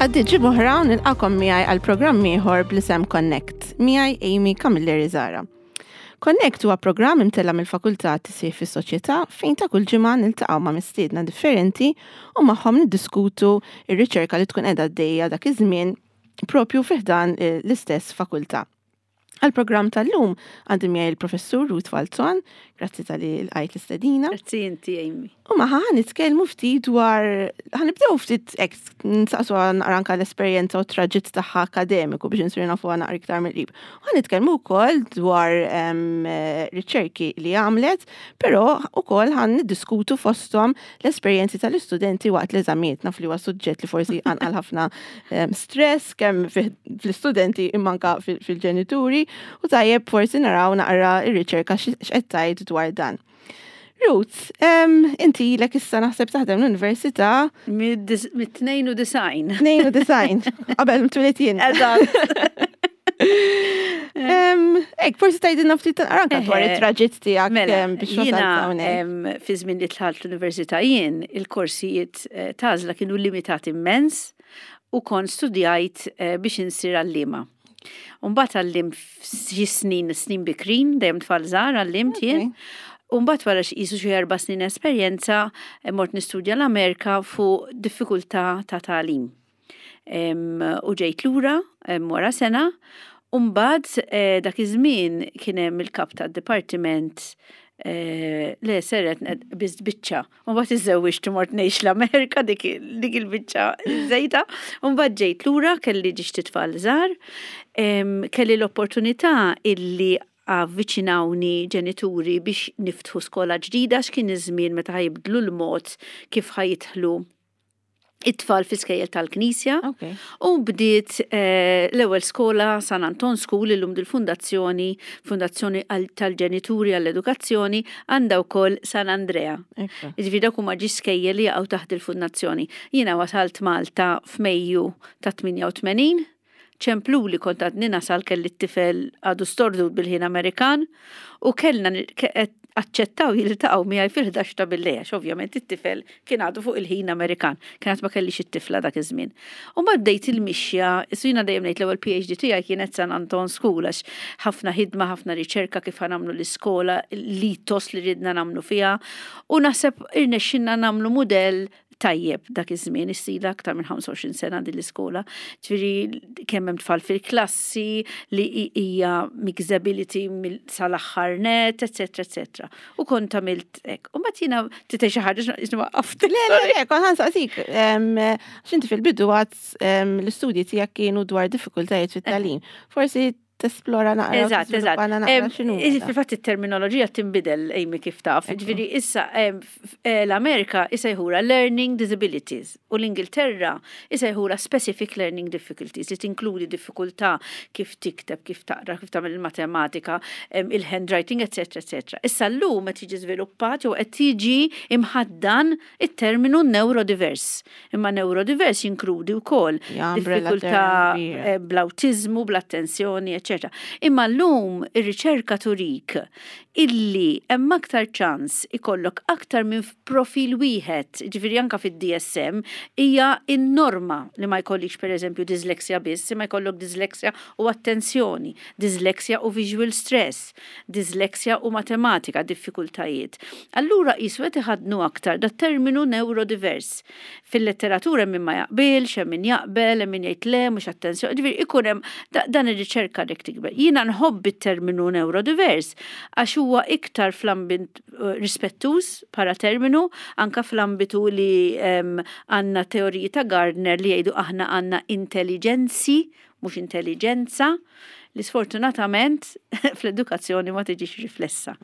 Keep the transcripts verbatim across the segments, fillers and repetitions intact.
Għaddiet ġimgħa oħra u nilqagħkom miegħi għal programm ieħor bl-isem Connect, miegħi Amy Camilleri Zara. Connect huwa programm imtella' mill-Fakultà Tisħiħ fis-Soċjetà fejn ta' kull ġimgħa niltaqgħu ma' mistiedna differenti u magħhom niddiskutu ir-riċerka li tkun qiegħda għaddejja dak iż-żmien propju fi ħdan l-istess fakultà. Għal-programm tal-lum għandi miegħi il-professur Ruth Falzon, grazzi talli lqajt l-istedina. Grazzi inti, Amy. U magħha ħa nitkellmu ftit dwar, ħa nibdew ftit hekk, nsaqsu naqra anka l-esperjenza u traġitt tagħha akademiku biex nsiru nafu naqra iktar mill-qrib. U ħa nitkellmu wkoll dwar riċerki li għamlet, però ukoll ħa niddiskutu fosthom l-esperjenzi tal-istudenti waqt l-eżamijiet. Naf li huwa suġġett li forsi qanqal ħafna stress kemm fl-istudenti imma anka fil-ġenituri u tajjeb forsi naraw naqra ir-riċerka x'qed tgħid dwar dan. Ruth, inti ilek issa naħseb taħdem l-università. Mit-tnejn u disgħin. Tnejn u disgħin, qabel twelidt jien. Eżatt. Hekk, forsi tgħidilna ftit anka dwar it-traġitt tiegħek Mela, biex jiena wasalt hawnhekk. Fi żmien li dħalt l-università jien, il-korsijiet eh, t'għażla kienu limitati immens u kont studjajt eh, biex insir għallima. Umbagħad għallimt xi snin, snin bikrin, dejjem tfal żgħar għallimt jien. Umbagħad wara xi qisu xi erba' snin esperjenza, eh, mort nistudja l-Amerika fuq diffikultà ta' tagħlim. U ġejt lura wara sena, umbagħad eh, dak iż-żmien kien hemm il-kap tad-dipartiment eh, le seret biss biċċa. Umbagħad iżżewwiġt u mort ngħix l-Amerika dik dik il-biċċa żejda. Umbagħad ġejt lura kelli żewġt itfal żgħar, kelli l-opportunità illi avviċinawni ġenituri biex niftħu skola ġdida x'kien iż-żmien meta ħa jibdlu l-mod kif ħa jidħlu it-tfal fi skejjel tal-Knisja. Okay. U bdiet eh, l-ewwel skola San Anton School, illum dil-fundazzjoni, Fundazzjoni tal-Ġenituri għall-Edukazzjoni, għandha wkoll San Andrea. Ekku. Jiġifieri dawk huma żewġ skejjel li jaqgħu taħt il-fundazzjoni. Jiena wasalt Malta f'Mejju ta' tmienja u tmenin, ċemplu li kont għadni nasal, kelli t-tifel għadu stordut bil-ħin Amerikan u kellna aċċettaw jiltaqgħu miegħi fil-ħdax ta' billejl, għax ovvjament it-tifel kien għadu fuq il-ħin Amerikan, kien għad ma kellix it-tifla dak iż-żmien. U ma bdejt il-mixja, issa jiena dejjem ngħid l-ewwel P H D tiegħi kienet San Anton School għax ħafna ħidma, ħafna riċerka kif ħa nagħmlu l-iskola, l-ethos li ridna nagħmlu fiha, u naħseb irnexxinna nagħmlu mudell tajjeb dak iż-żmien, issila aktar minn ħamsa u għoxrin sena din l-iskola. Ġifieri kemm hemm tfal fil-klassi, li hija mixability sal-aħħar net, eċetera, eċetera. U kont għamilt hekk. U mbagħad jiena titgħid xi ħaġa waqqaft. Le, le, le, kont ħa nsaqsik. X'inti fil-bidu għad l-istudji tiegħek kienu dwar diffikultajiet fit-tagħlim. Forsi tesplora naqra. Eżatt, eżatt. Fil-fatt it-terminoloġija tinbidel, Amy, kif taf. Ġifieri issa l-Amerika isejħula learning disabilities u l-Ingilterra isejħula specific learning difficulties li tinkludi diffikultà kif tikteb, kif taqra, kif tagħmel il-matematika, il-handwriting, eċetera, eċetera. Issa llum qed jiġi żviluppat jew qed tiġi imħaddan it-terminu neurodivers. Imma neurodivers jinkludi wkoll diffikultà bl-awtiżmu, bl-attenzjoni, eċetera. Imma llum ir-riċerka turik illi hemm aktar ċans ikollok aktar minn profil wieħed, ġifieri anka fid-D S M hija in-norma li ma jkollikx, pereżempju, disleksja biss, imma jkollok disleksja u attenzjoni, disleksja u visual stress, disleksja u matematika, diffikultajiet. Allura qisu qed iħaddnu aktar dat terminu neurodivers. Fil-letteratura hemm min ma jaqbilx, hemm min jaqbel, hemm min jgħid le, mhux attenzjoni, ġifieri ikun hemm dan ir-riċerka dik tikber. Jiena nħobb it-terminu neurodivers għax huwa iktar fl-ambint eh, rispettuż bħala terminu, anka fl-ambitu li għandna teoriji ta' Gardner li jgħidu aħna għandna intelligenzi, mhux intelligenza, li sfortunatament fl-edukazzjoni ma tiġix riflessa.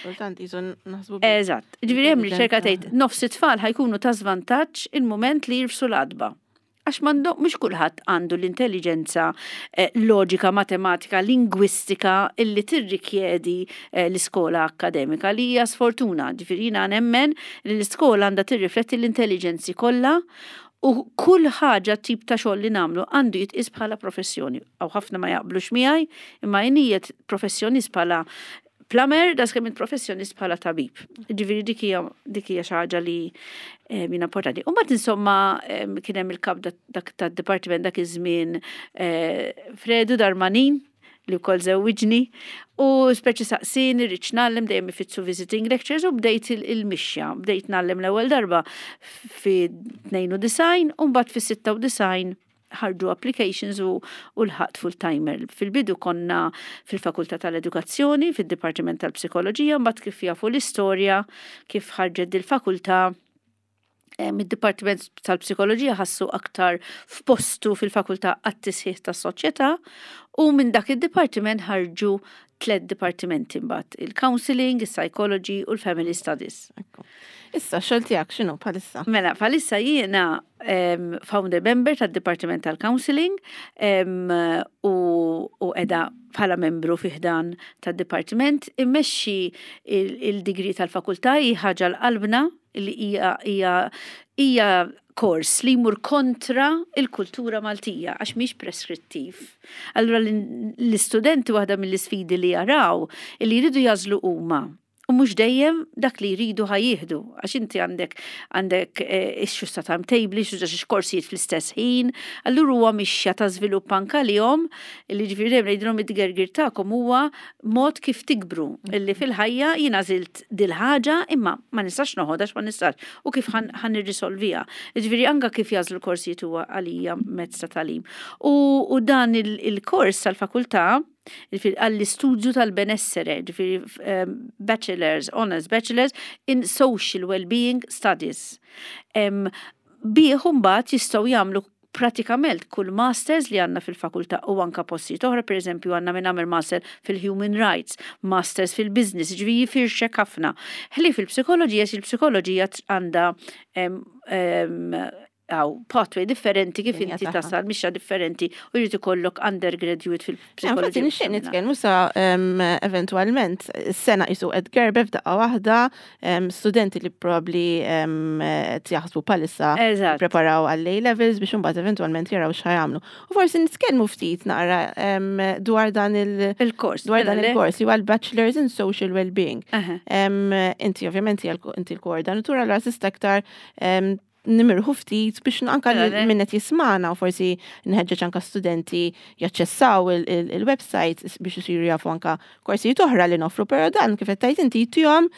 Kultant jizu naħsbu. Eżatt. Ġifieri hemm riċerka tgħid nofs it-tfal ħa jkunu ta' żvantaġġ il-mument li jirfsu l-għatba. Għax m'għandu, mhux kulħadd għandu l-intelligenza eh, loġika, matematika, lingwistika illi tirrikjedi eh, l-iskola akademika, li hija sfortuna. Ġifieri jiena nemmen li l-iskola għandha tirrifletti l-intelligenzi kollha u kull ħaġa, tip ta' xogħol li nagħmlu, għandu jitqis bħala professjoni. Aw ħafna ma jaqblux miegħi, imma jien professjonist bħala plumber, daqs kemm int professjonist bħala tabib. Ġifieri dik hija dik hija xi ħaġa li eh, min importanti. U mbagħad, insomma, em, kien hemm il-kap dak tad-dipartiment dak iż-żmien, eh, Fredu Darmanin, li wkoll żewwiġni, u speċi saqsini rridx ngħallem, dejjem ifittxu visiting lectures, u bdejt il-mixja, bdejt ngħallem l-ewwel darba fi tnejn u disgħin u mbagħad fi sitta u disgħin ħarġu applications u, u lħaqt full-timer. Fil-bidu konna fil-Fakultà tal-Edukazzjoni, fil-Dipartiment tal-Psikoloġija, mbagħad kif jafu l-istorja, kif ħarġet dil-fakultà, mid-Dipartiment tal-Psikoloġija ħassu aktar f'postu fil-Fakultà għat-Tisħiħ tas-Soċjetà u minn dak id-dipartiment ħarġu tliet dipartimenti mbagħad: il-Counseling, il-Psychology u l-Family Studies. Ekku. Issa, xogħol tiegħek x'inhu bħalissa? Mela, bħalissa jiena um, founder member tad-Dipartiment tal-Counseling um, u, u edha bħala membru fi ħdan tad-Dipartiment immexxi il-degree tal-fakultà, hi ħaġa għal qalbna li hija hija hija kors li jmur kontra il-kultura Maltija għax mhix preskrittiv. Allura l-istudenti, waħda mill-isfidi li jaraw li jridu jagħżlu huma u mhux dejjem dak li jridu ħa jieħdu, għax inti għandek għandek ix-xusta timetable, xusta xi korsijiet fl-istess ħin, allura huwa mixja ta' żvilupp anka lihom, li ġifieri dejjem ngħidilhom id-gergir tagħkom huwa mod kif tikbru, illi fil-ħajja jien għażilt dil-ħaġa imma ma nistax noħodha għax ma nistax u kif ħa nirrisolviha. Ġifieri anka kif jagħżlu l-korsijiet huwa għalija mezz ta' tagħlim. U, u dan il-kors tal-fakultà għall-istudju tal-benessere, ġifieri um, Bachelors, Honors Bachelors in Social Wellbeing Studies. Um, Bih mbagħad jistgħu jagħmlu pratikament kull masters li għandna fil-fakultà u anka postijiet oħra, per eżempju għandna minn għamel master fil-human rights, masters fil-business, ġifieri jifirxek ħafna. Ħlief fil-psikoloġija, il-psikoloġija għandha um, għaw pathway differenti kif Linja inti tagħha. tasal, mixja differenti u jrid ikollok undergraduate Infatti fil-psikoloġija. Nixtieq nitkellmu sa em, eventualment s-sena qisu qed tgerbeb f'daqqa waħda, em, studenti li probabbli em, qed jaħsbu bħalissa Eżatt. preparaw għall-A levels biex imbagħad eventwalment jaraw x'ħa jagħmlu. U forsi nitkellmu ftit naqra em, dwar dan il- Il-kors. dwar dan Mela, le? il-kors li huwa l-Bachelors in Social Wellbeing. Aha. Em, Inti ovvjament hija l- inti l-koordinatur, allura tista' aktar em, nimirħu ftit biex anka Mela, le. min qed jismagħna u forsi nħeġġeġ anka studenti jaċċessaw il- il- il-website biex isiru jafu anka korsijiet oħra li noffru, però dan, kif qed tgħid inti, tihom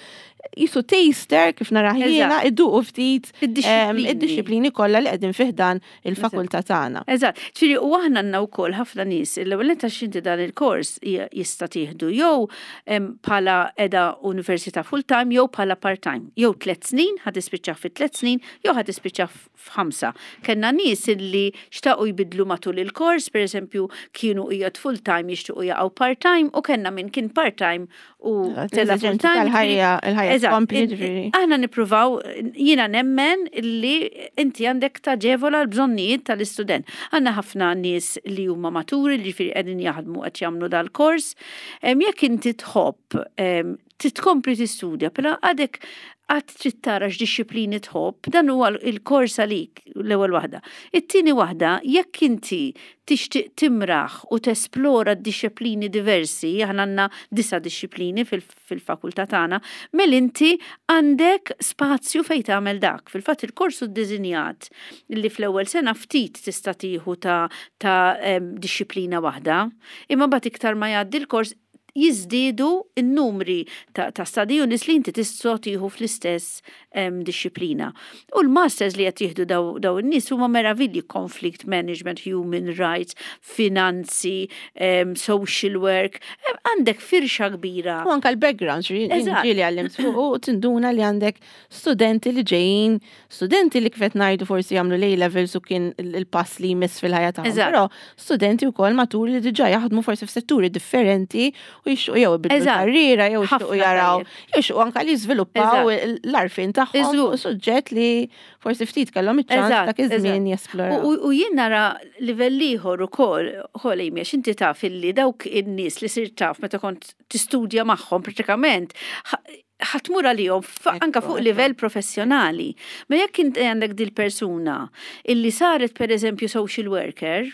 qisu taster, kif nara jiena, iduqu ftit em, Id-dixxiplini. id-dixxiplini kollha li qegħdin fi ħdan il-fakultà tagħna. Eżatt, ġifieri u aħna għandna wkoll ħafna nies, l-ewwel nett għax inti dan il-kors hija- jista' tieħdu jew em, bħala edha università full-time jew bħala part-time. Jew tliet snin, ħa tispiċċa fi tliet snin, jew ħa tispiċċa f'ħamsa. Kellna nies illi xtaqu jbidlu matul il-kors, per eżempju, kienu qiegħed full-time jixtiequ jaqgħu part-time u kellna min kien part-time u tela L-eżiġenzi full-time. tal-ħajja, il-ħajja Eżatt, tkompli, in- ġifieri. Aħna nippruvaw, jiena nemmen li inti għandek taġevola l-bżonnijiet tal-istudent. Għandna ħafna nies li huma maturi, li ġifieri qegħdin jaħdmu qed jagħmlu dal-kors. Em, Jekk inti tħobb em, titkompli tistudja, però għadek għad trid tara x'dixxiplini tħobb, dan huwa il-kors għalik, l-ewwel waħda. It-tieni waħda, jekk inti tixtieq timraħ u tesplora d-dixxiplini diversi, aħna għandna disa' dixxiplini fil- fil-fakultà tagħna, mela inti għandek spazju fejn tagħmel dak. Fil-fatt il-kors hu ddisinjat li fl-ewwel sena ftit tista' tieħu ta' ta' em, dixxiplina waħda, imma mbagħad iktar ma jgħaddi l-kors jiżdiedu n-numri ta', ta' study units li inti tista' tieħu fl-istess em, dixxiplina. U l-masters li qed jieħdu daw, daw in-nies huma meravilji: conflict management, human rights, finanzi, em, social work, em, għandek firxa kbira. U anka l-background, Eżatt. ġieli għallimt fuq u tinduna li għandek studenti li ġejjin, studenti li kif qed ngħidu forsi jagħmlu l levels u kien il- il-pass li jmiss fil-ħajja tagħhom. Eżatt. Però studenti wkoll maturi li diġà jaħdmu forsi f'setturi differenti u jixtiequ jew ibidlu Eżatt. karriera jew jixtiequ Ħafna jaraw, tajjeb. jew jixtiequ anka li jiżviluppaw Eżatt. l-għarfien tagħhom Iżgur. fuq suġġett li forsi ftit kellhom iċ-ċans Eżatt, dak iż-żmien eżatt. jesploraw. U, u, u jien nara livell ieħor ukoll, ukoll Amy, għax inti taf illi dawk in-nies li sirt taf meta kont tistudja magħhom pratikament ħa- ħa tmur għalihom fa- anka Ekku, fuq ekku. livell professjonali. Ma jekk inti għandek dil persuna illi saret, per eżempju, social worker,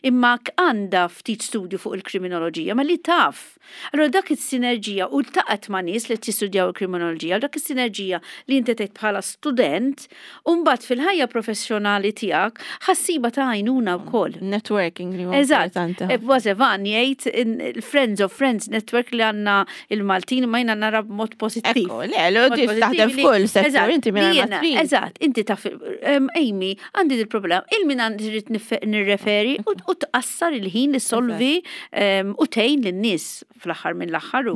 Imma għandha ftit studju fuq il-kriminoloġija, ma li taf. Allora dak is-sinerġija u ltaqgħet ma' nies li tistudjaw il-kriminoloġija, dak is-sinerġija li inti tgħid bħala student, u mbagħad fil-ħajja professjonali tiegħek ħa ssibha ta' għajnuna wkoll. Networking li huwa Eżatt. importanti. Eżatt, jgħid il-Friends of Friends Network li għandna il-Maltin, ma jiena nara b'mod pożittiv. Ekku, le, le, taħdem f'kull settur, inti minn ma trid. Eżatt, inti taf, Amy, għandi il-problema, lil min għandi rrid nirreferi u u tqassar il-ħin li solvi u tgħin lin-nies fl-aħħar mill-aħħar.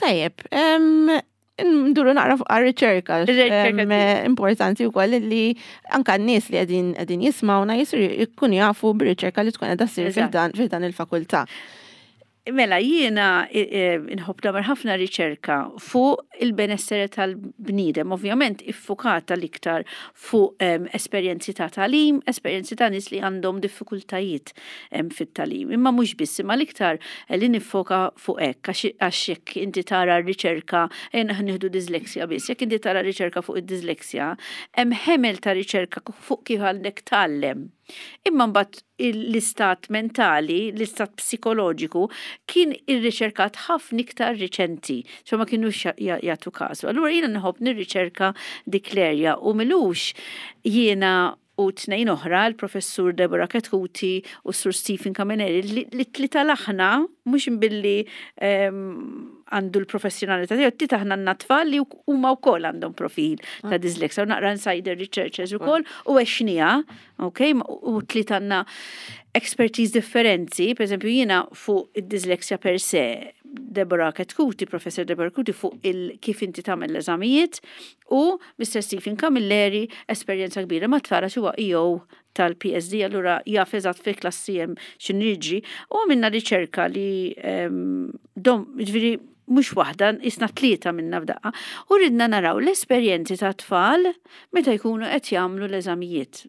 Tajjeb, nduru naqra fuq riċerka importanti wkoll li anka n-nies li qegħdin qegħdin jismawna jisir jkunu jafu bir-riċerka li tkun qiegħda ssir fil-dan il-fakultà. Mela, jiena nħobb nagħmel ħafna riċerka fuq il-benessere tal-bniedem, ovvjament iffukata l-iktar fuq esperjenzi ta' tagħlim, esperjenzi ta' nies li għandhom diffikultajiet fit-tagħlim. Imma mhux biss, imma l-iktar li niffoka fuq hekk, għax jekk inti tara r-riċerka, ejja nieħdu disleksja biss, jekk inti tara riċerka fuq id-disleksja, hemm ħemel ta' riċerka fuq kif għandek tgħallem. Imma mbagħad l-istat mentali, l-istat psikoloġiku kien irriċerkat ħafna iktar riċenti, so ma kienux jagħtu kasu. Allura jiena nħobb nirriċerka dik l-erja u m'ilux jiena u tnejn oħra, il-professur Deborah Chetcuti u Sur Stephen Camilleri, li tlieta aħna, mhux billi għandu l-professjonalità tiegħu, tlieta aħna għandna tfal li huma wkoll għandhom profil ta' ah. dyslexia u naqra insider researchers ukoll u għexnieha, ok, u tlieta għandna expertise differenti, per eżempju jiena fuq id-dyslexia per se, Deborah Chetcuti, Professor Deborah Chetcuti fuq il kif inti tagħmel l-eżamijiet u Mister Stephen Camilleri esperjenza kbira ma' tfal huwa E O tal-P S D, allura jaf eżatt fi klassi hemm x'inhu jiġri u għamilna riċerka li dom, ġifieri mhux waħda, aħna tlieta minna f'daqqa, u ridna naraw l-esperjenzi ta' tfal meta jkunu qed jagħmlu l-eżamijiet.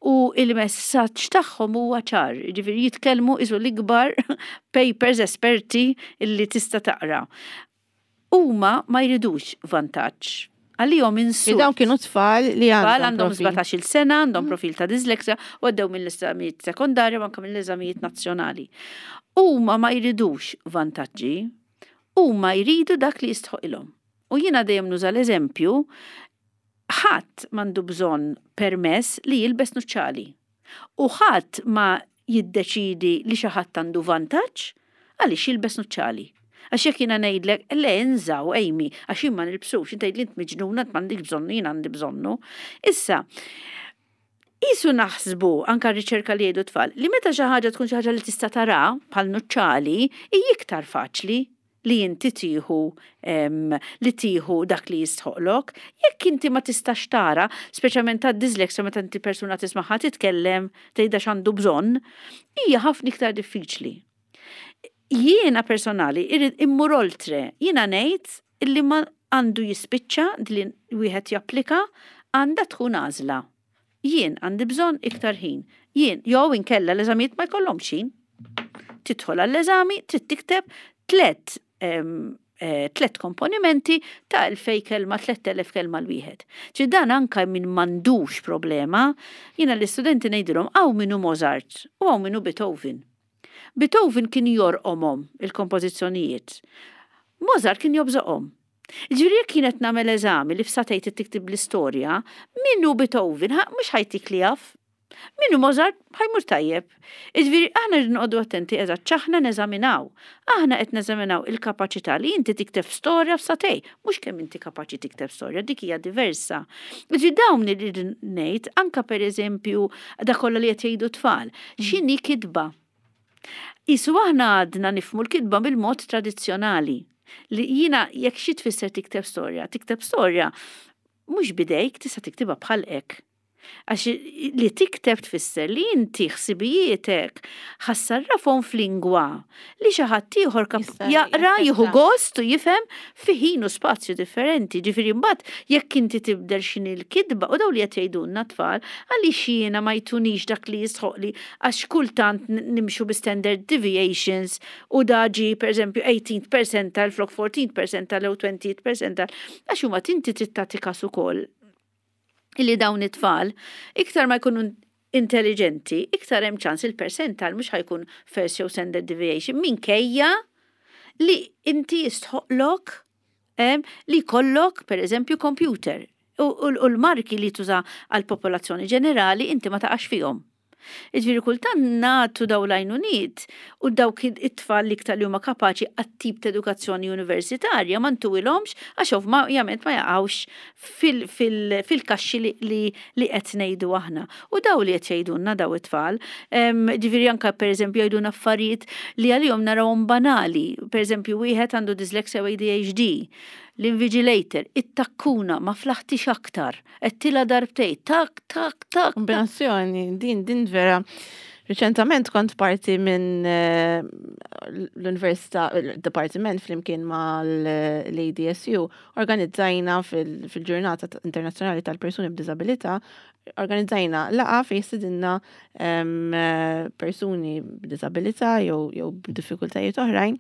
U il-messaġġ tagħhom huwa ċar, ġifieri jitkellmu qisu l-ikbar papers esperti illi tista' taqra. Huma ma jridux vantaġġ. Għalihom insult. Dawn kienu tfal li għandhom għandhom sbatax-il sena, għandhom mm. profil ta' disleksja u għaddew mill-eżamijiet sekondarja u anke mill-eżamijiet nazzjonali. Huma ma jridux vantaġġi, huma jridu dak li jistħoqilhom. U jiena dejjem nuża l-eżempju, ħadd m'għandu bżonn permess li jilbes nuċċali. U ħadd ma jiddeċidi li xi ħadd għandu vantaġġ għaliex jilbes nuċċali. Għax jekk jiena ngħidlek, le inżgħu, Amy, għax jien ma nilbsux, inti tgħid li int miġnuna, m'għandek bżonnu, jien għandi bżonnu. Issa, qisu naħsbu anka riċerka li jgħidu tfal li meta xi ħaġa tkun xi ħaġa li tista' tara bħal nuċċali hi iktar faċli li inti tieħu li tieħu dak li jistħoqlok. Jekk inti ma tistax tara, speċjalment ta' disleksja, meta inti persuna tismaħħa titkellem, tgħidha x'għandu bżonn, hija ħafna iktar diffiċli. Jiena personali irrid immur oltre, jiena ngħid illi ma għandu jispiċċa li wieħed japplika, għandha tkun għażla. Jien għandi bżonn iktar ħin. Jien, jew inkella l-eżamijiet ma jkollhomx ħin. Tidħol għall-eżami, trid tikteb tlet eh, tlet komponimenti ta' elfejn kelma, tlett elef kelma l-wieħed. Ġi dan anka min m'għandux problema, jiena l-istudenti ngħidilhom hawn min hu Mozart u hawn min hu Beethoven. Beethoven kien jorqomhom il-kompożizzjonijiet. Mozart kien jobżoqhom. Ġifieri jekk kienet nagħmel eżami li f'sagħtejn tiktib l-istorja, min hu Beethoven, mhux ħa jtik li jaf. Min hu Mozart ħa jmur tajjeb. Ġifieri aħna rridu noqogħdu attenti eżatt x'aħna neżaminaw. Aħna qed neżaminaw il-kapaċità li inti tikteb storja f'sagħtejn, mhux kemm inti kapaċi tikteb storja, dik hija diversa. Ġifieri dawn irridu ngħid anka pereżempju dak kollha li qed jgħidu tfal. X'inhi kitba? Qisu aħna għadna nifhmu l-kitba bil-mod tradizzjonali. Li jiena jekk xi tfisser tikteb storja, tikteb storja mhux bidejk, tista' tiktibha bħal hekk. Għax li tikteb tfisser li inti ħsibijietek ħa ssarrafhom f'lingwa li xi ħadd ieħor jaqra, jieħu gost u jifhem fi ħin u spazju differenti. Ġifieri mbagħad jekk inti tibdel x'inhi l-kitba u daw li qed jgħidulna tfal, għaliex jiena ma jtunix dak li jistħoqli, għax kultant nimxu bi standard deviations u daġi pereżempju eighteen percentile flok fourteen percentile u twenty percentile, għax huma tinti trid tagħti każ ukoll illi dawn it-tfal iktar ma jkunu intelligenti, iktar hemm ċans il-percentile mhux ħa jkun first jew standard deviation minkejja li inti jistħoqlok li jkollok per eżempju computer u, u, u l-marki li tuża għal popolazzjoni ġenerali inti ma taqax fihom. Jiġifieri kultant nagħtu daw l-għajnuniet u dawk it-tfal li iktar li huma kapaċi għat-tip ta' edukazzjoni universitarja ma ntuhomx għax ovvjament ma jaqgħux fil-kaxxi li qed ngħidu aħna. U daw li qed jgħidulna daw it-tfal, ġifieri anke pereżempju jgħidulna affarijiet li għalihom narawhom banali. Pereżempju, wieħed għandu dyslexia u A D H D, l-invigilator, it-takkuna ma flaħtix aktar, għedtilha darbtejn, tak, tak, tak. Kombinazzjoni, din, din vera. Reċentament kont parti minn eh, l-Università, il-Departiment flimkien ma l-A D S U, organizzajna fil-Ġurnata Internazzjonali tal-Persuni b'Disabilità, organizzajna laqgħa fejn stedinna persuni b'disabilità jew jew b'diffikultajiet oħrajn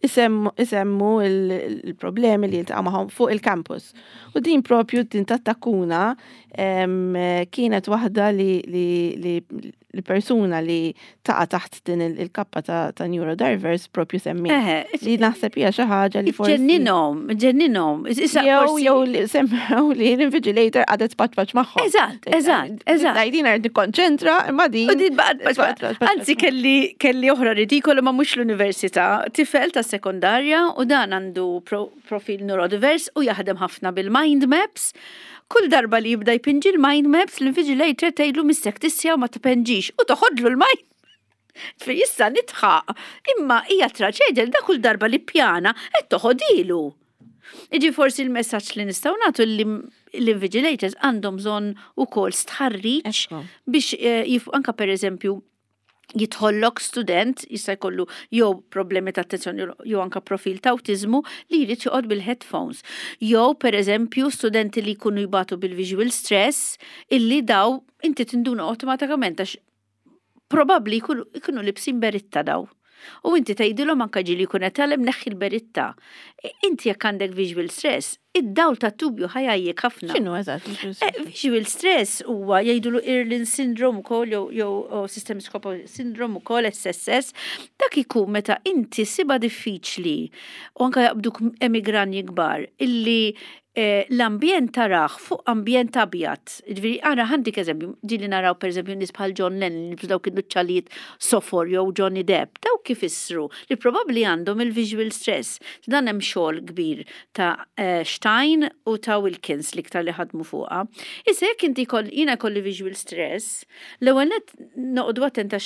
isemmu il-problemi li jiltaqgħu magħhom fuq il-campus. U din propju din tat-takkuna kienet waħda li li persuna li taqa' taħt din il-kappa ta' neurodiverse propju semmi. Li naħseb hija xi ħaġa li forsi. Ġenninom, ġenninom. Jew jew li semmew li l-invigilator qagħdet tpaċpaċ magħhom. Eżatt, eżatt, eżatt. Għajdin qed nikkonċentra imma din. Anzi, kelli kelli oħra ridikola, ma mhux l-università, tifel ta' sekondarja u dan għandu profil neurodivers u jaħdem ħafna bil-mind maps. Kull darba li jibda jpinġi l-mind maps, l-invigilator tgħidlu missek tissja u ma tpinġix u toħodlu l-mind. Fi issa nidħaq, imma hija traġedja li da kull darba li pjana qed toħodilu. Iġi forsi l-messaġġ li nistgħu nagħtu li l-invigilators għandhom bżonn ukoll stħarriġ biex eh, anka per eżempju jidħollok student jista' jkollu jew problemi ta' attenzjoni jew anka profil ta' autizmu li jrid joqgħod bil-headphones. Jew pereżempju studenti li jkunu jbatu bil-visual stress, illi daw inti tinduna awtomatikament għax probabbli jkunu libsin beritta daw. U inti tgħidilhom, anka ġieli jkun qed tgħallem, neħħi l-beritta. Inti jekk għandek visual stress, id-dawl ta' tubju ħa jgħajjik ħafna. X'inhu eżatt? Eh, visual stress huwa jgħidulu Irlen syndrome ukoll jew jew systemic syndrome ukoll, S S S. Dak ikun meta inti ssibha diffiċli u anka jaqbduk emigranji kbar illi eh, l-ambjent tarah fuq ambjent abjad. Ġifieri, għara għandik eżempju, ġieli naraw per eżempju nies bħal John Lennon, li dawk in-nuċċalijiet sofor, jew Johnny Depp, dawk kif issru li probabbli għandhom il-visual stress. Dan hemm xogħol kbir ta' eh, Stein u ta' Wilkins li iktar li ħadmu fuqha. Issa jekk inti jiena kolli visual stress, l-ewwel net noqogħdu attenta,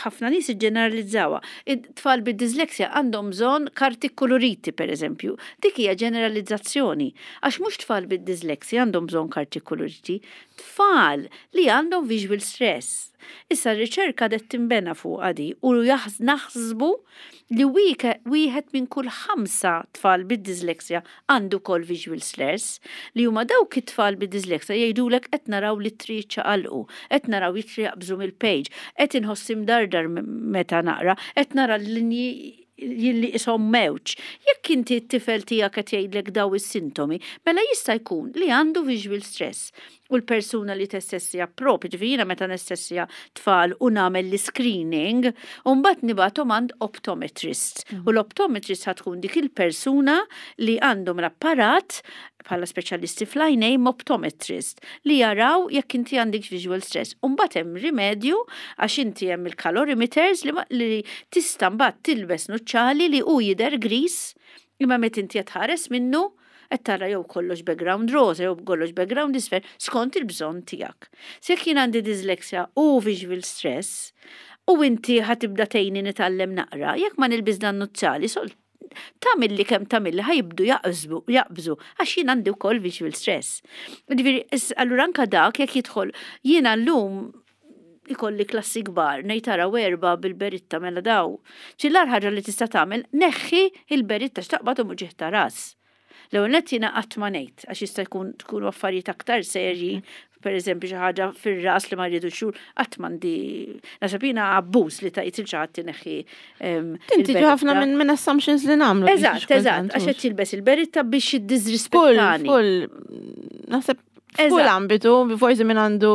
ħafna nies iġġeneralizzawha. It-tfal bid-dyslexia għandhom bżonn karti koloriti, per eżempju. Dik hija ġeneralizzazzjoni. Għax mhux tfal bid-dyslexia għandhom bżonn karti koloriti, tfal li għandhom visual stress. Issa r-riċerka qed tinbena fuq għadi u naħsbu li wieħed minn kull ħamsa tfal bid-dyslexia għandu kol visual stress, li huma dawk it-tfal bid-dyslexia jgħidulek qed naraw li triq ċaqalqu, qed naraw ittri jaqbżu mill-page, qed inħoss imdardar meta naqra, qed nara l-linji jilli ishom mewġ. Jekk inti t-tifel tiegħek qed jgħidlek daw is-sintomi, mela jista' jkun li għandu visual stress. U l-persuna li tessessja propju, ġifieri jiena meta nessessja tfal u nagħmel l-screening, u mbagħad nibgħathom għand optometrist. Mm. U l-optometrist ħa tkun dik il-persuna li għandhom l-apparat bħala speċjalisti fl-għajnejn, optometrist, li jaraw jekk inti għandek visual stress. U mbagħad hemm rimedju għax inti hemm il-calorimeters li, li tista' mbagħad tilbes nuċċali li hu jidher gris, imma meta inti qed tħares minnu qed tara jew kollox background rosa jew kollox background isfer skont il-bżonn tiegħek. Se jekk jien għandi dyslexia u visual stress u inti ħa tibda tgħinni nitgħallem naqra, jekk ma nilbis dan nuċċali sol tagħmilli kemm tagħmilli ħa jibdu jaqbżu, jaqbżu, għax jien għandi wkoll visual stress. Ġifieri, allura anka dak jekk jidħol, jiena llum ikolli klassi kbar, ngħid tara erba' bil-beritta, mela daw. Ċillar ħaġa li tista' tagħmel, neħħi il-beritta x'taqbad u muġieħ ta' ras. L-ewwel nett jiena qatt ma ngħid, għax jista' jkun tkunu affarijiet aktar serji, per eżempju xi ħaġa fir-ras li ma rridu xhur, qatt m'għandi, naħseb jiena abbuż li tgħid lil xi ħadd ineħħi. Inti ħafna minn minn assumptions li nagħmlu. Eżatt, eżatt, għax qed tilbes il-beritta biex jiddisrispettani. Kull, naħseb F'kull ambitu, forsi minn għandu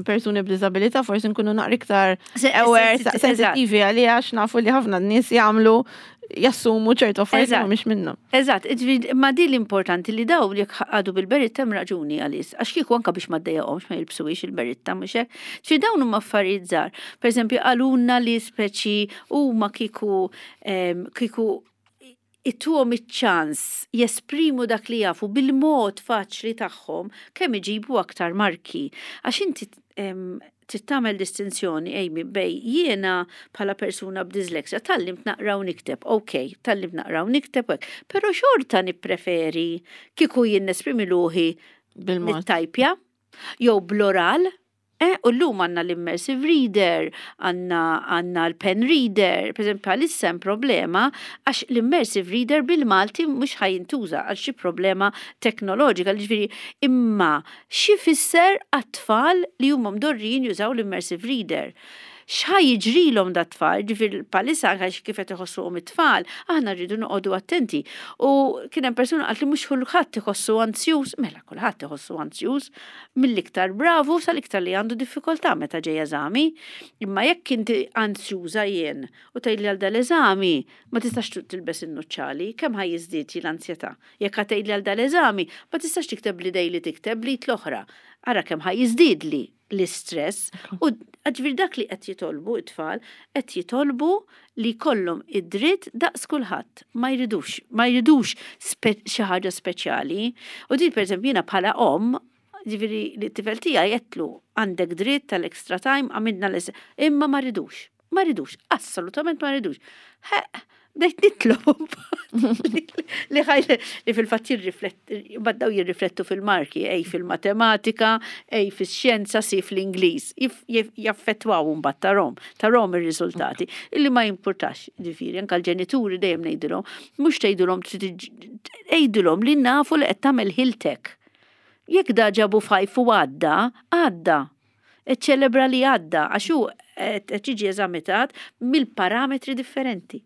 persuni b'disabilità, forsi nkunu naqra iktar aware, sensitivi għalija, għax nafu li ħafna nies jagħmlu, jassumu ċertu affarijiet mhux minnhom. Eżatt, ma di l-importanti li daw li għadu bil-beritta hemm raġuni għalis, għax kieku anka biex ma ddejjaqhomx ma jilbsuhiex il-beritta, mhux hekk. Ġifieri dawn huma affarijiet żgħar. Pereżempju, qalulna li speċi huma kieku kieku ittuhom iċ-ċans jesprimu dak li jafu bil-mod faċli tagħhom, kemm iġibu aktar marki. Għax inti trid tagħmel distinzjoni, Amy, bejn jiena bħala persuna b'dysleksja tgħallimt naqra u nikteb, ok, tgħallimt naqra u nikteb hekk, però xorta nippreferi kieku jien nesprimi ruħi bil-mod. Nittajpja jew bl-oral. Eh, u llum għandna l-immersive reader, għandna għandna l-pen reader, per esempio, għalissa hemm problema għax l-immersive reader bil-Malti mhux ħa jintuża għal xi problema teknoloġika, ġifieri imma xi fisser għat-tfal li huma mdorrijin jużaw l-immersive reader? X'ħa jiġrilhom dat-tfal? Ġifieri bħalissa għax kif qed iħossuhom it-tfal, aħna rridu noqogħdu attenti. U kien hemm persuna qalt li mhux kulħadd iħossu anzjuż, mela kulħadd iħossu anzjuż, mill-iktar bravu sal-iktar li għandu diffikultà meta ġej eżami. Imma jekk inti anzjuża jien u tgħidli għal dal-eżami ma tistax tilbes in-nuċċali, kemm ħa jiżdied l-ansjetà? Jekk ħa tgħidli għal dal-eżami ma tistax tikteb bl-idej li tikteb bl-id l-oħra. Ara kemm ħa jiżdiedli l-istress. U ġifieri dak li qed jitolbu it-tfal, qed jitolbu li kollhom id-dritt daqs kulħadd. Ma jridux, ma jridux xi ħaġa speċjali. U din, pereżempju, jiena bħala om, ġifieri li t-tifel tiegħi għedtlu għandek dritt tal-extra time, għamilna l imma ma ridux, ma ridux, assolutament ma ridux. Bdejt nitlob li ħaj li fil-fatt jirrifletti, baddaw jirriflettu fil-marki, ej fil-matematika, ej fil-xjenza, si fl-Ingliż, jaffettwaw mbagħad tarahom, tarahom ir-riżultati, illi ma jimpurtax, ġifieri, anka l-ġenituri dejjem ngħidilhom, mhux tgħidulhom, tgħidulhom li nafu li qed tagħmel ħiltek. Jekk da ġabu five u għadda, għadda. Iċċelebra li għadda, għax hu qed jiġi eżamitat mill-parametri differenti.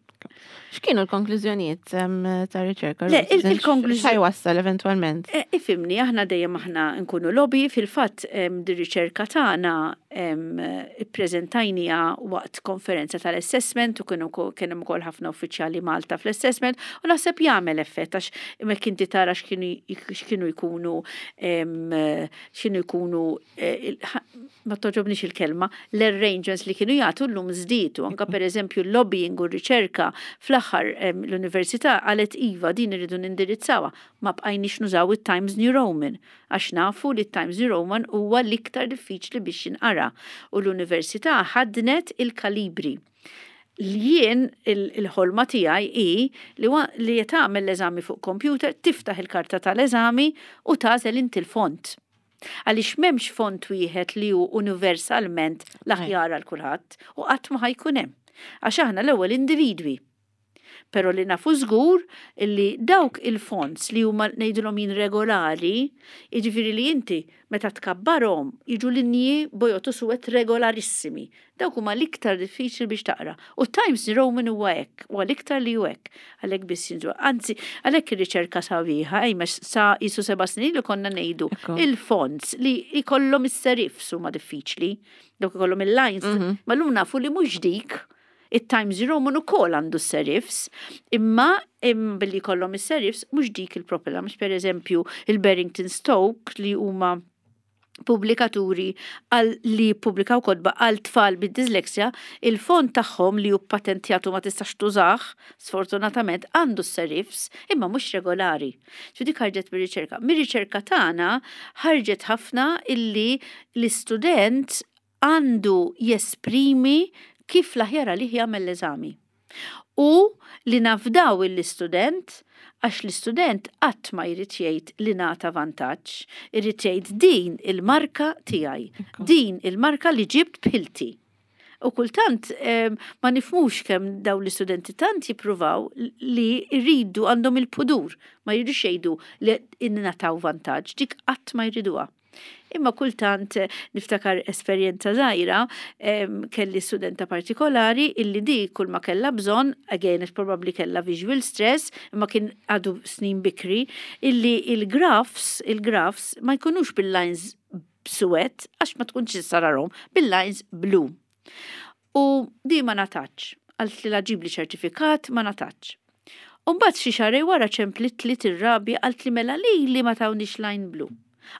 X'kienu l-konklużjonijiet ta' riċerka? Le, il-konklużjoni. X'ħa jwassal eventwalment? Eh, ifhimni, aħna dejjem aħna nkunu lobby, fil-fatt di riċerka tagħna ippreżentajnieha waqt konferenza tal-assessment u kienu kien hemm ukoll ħafna uffiċjali Malta fl-assessment u naħseb jagħmel effett, għax hemmhekk inti tara x'kienu x'kienu jkunu x'kienu jkunu eh, ma togħġobnix il-kelma, l-arrangements li kienu jagħtu llum żdiedu, anka pereżempju l-lobbying u r-riċerka. Fl-aħħar l-università qalet: "Iva, din irridu nindirizzawha, ma bqajniex nużaw it-Times New Roman għax nafu li t-Times New Roman huwa l-iktar diffiċli biex jinqara", u l-università ħadnet il-Calibri. Jien il-ħolma tiegħi hi li li tagħmel l-eżami fuq computer, tiftaħ il-karta tal-eżami u tagħżel inti l-font. Għaliex m'hemmx font wieħed li hu universalment l-aħjar għal kulħadd u qatt ma ħa jkun hemm. Għax aħna l-ewwel individwi. Pero li nafu żgur illi dawk il-fonts li huma ngħidulhom jien regolari, jiġifieri li inti meta tkabbarhom jiġu linji bojod u suwed regolarissimi. Dawk huma l-iktar diffiċli biex taqra. U Times New Roman huwa hekk, huwa l-iktar li hu hekk. Għalhekk biss jinżu. Anzi, għalhekk ir-riċerka sabiħa, ejma sa jisu seba' snin li konna ngħidu il-fonts li jkollhom is-serifs huma diffiċli, dawk ikollhom il-lines, mhm. ma llum nafu li mhux dik. It-Times New Roman ukoll għandu serifs, imma billi kollhom is-serifs mhux dik il-problema, mhux per eżempju il-Barrington Stoke li huma pubblikaturi għal li publikaw kotba għal tfal bid-disleksja, il-font tagħhom li hu patentjatu, ma tistax tużah, sfortunatament, għandu serifs imma mhux regolari. Ġu dik ħarġet mir-riċerka. Mir-riċerka tagħna ħarġet ħafna illi l-istudent għandu jesprimi kif l-aħjar għalih jagħmel l-eżami. U li nafdaw l-istudent, għax l-istudent qatt ma jrid jgħid li ngħata vantaġġ, irid jgħid: "Din il-marka tiegħi, din il-marka li ġibt b'ħilti." U kultant ma nifhmux kemm daw l-istudenti tant jippruvaw li jridu, għandhom il-pudur, ma jridux jgħidu li ingħataw vantaġġ, dik qatt ma jriduha. Imma kultant eh, niftakar esperjenza żgħira, kelli studenta partikolari illi di kull ma kella bżonn, again, probably kella visual stress, imma kien għadu snin bikri, illi il-graphs, il-graphs ma jkunux bil-lines suwed, għax ma tkunx sararhom, bil-lines blu. U di ma ngħatatx. Qaltli la ġibli ċertifikat, ma ngħatatx. Umbagħad xi xahrejn wara ċemplitli tirrabja, qaltli mela li li ma tawnix line blu.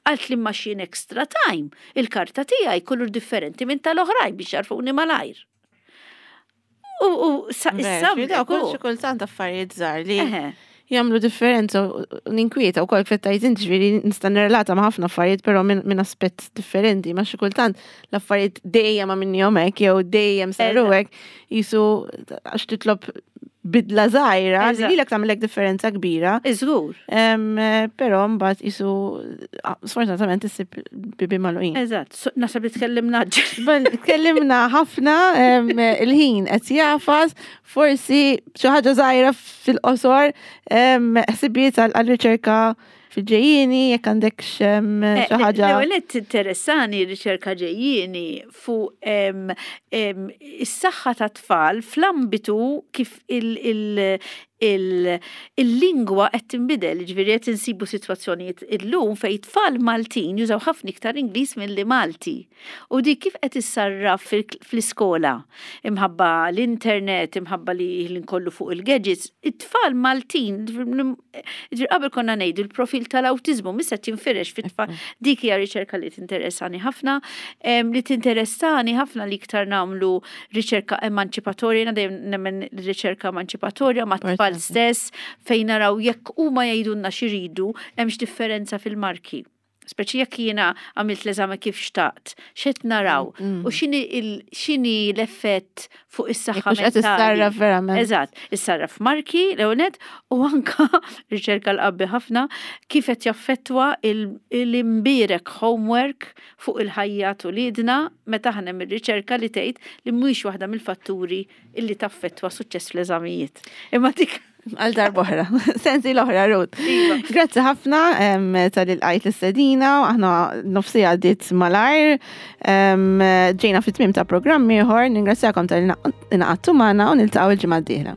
Qaltli ma xien extra time, il-karta tiegħi kulur differenti minn tal-oħrajn biex jarfuni malajr. U u sa issa kull xi kultant affarijiet żgħar li jagħmlu differenza u ninkwieta wkoll fettajt inti, ġifieri nista' nirrelata ma' ħafna affarijiet, però minn aspett differenti, ma xi kultant l-affarijiet dejjem ma minnhom hekk jew dejjem saru hekk, jisu għax titlob bidla żgħira li lilek tagħmellek differenza kbira. Iżgur. Però mbagħad jisu sfortunatament issib bibien magħluqin. Eżatt, naħseb li tkellimna. Tkellimna ħafna, il-ħin qed jagħfas, forsi xi ħaġa żgħira fil-qosor, ħsibijiet għal-riċerka fil-ġejjieni, jekk għandek xi eh, ħaġa. L-ewwel interessani riċerka ġejjieni fuq is-saħħa ta' tfal fl-ambitu kif il-lingwa qed tinbidel, ġifieri qed insibu sitwazzjonijiet illum fejn tfal Maltin jużaw ħafna iktar Ingliż milli Malti. U di kif qed issarraf fl-iskola? Imħabba l-internet, imħabba li l-inkollu fuq il-gadgets, it-tfal Maltin, ġifieri qabel konna ngħidu l-profil tal-awtiżmu, missa tinfirex fit-tfal. Dik hija riċerka li tinteressani ħafna, li tinteressani ħafna li iktar nagħmlu riċerka emanċipatorja, jiena dejjem nemmen riċerka emanċipatorja ma' tfal stess, fejn naraw jekk huma jgħidulna x'iridu, hemmx differenza fil-marki. Speċi jekk jiena għamilt l-eżame kif xtaqt, x'qed naraw mm. u x'inhi x'inhi l-effett fuq is-saħħa mentali. Verament. Eżatt, issarraf marki l u anka riċerka l-qabbi ħafna kif qed jaffettwa l-imbierek homework fuq il-ħajja t'uliedna, meta aħna mir-riċerka li tgħid li mhuwiex waħda mill-fatturi illi taffettwa suċċess fl-eżamijiet. Imma dik għal darb'oħra. Sensi l-oħra, Ruth. Iva. Grazzi ħafna talli lqajt l-istedina, aħna nofs siegħa għaddiet malajr. Ġejna fit-tmiem ta' programm ieħor, ningrazzjakom talli ngħaqadtu magħna u niltaqgħu il-ġimgħa d-dieħla.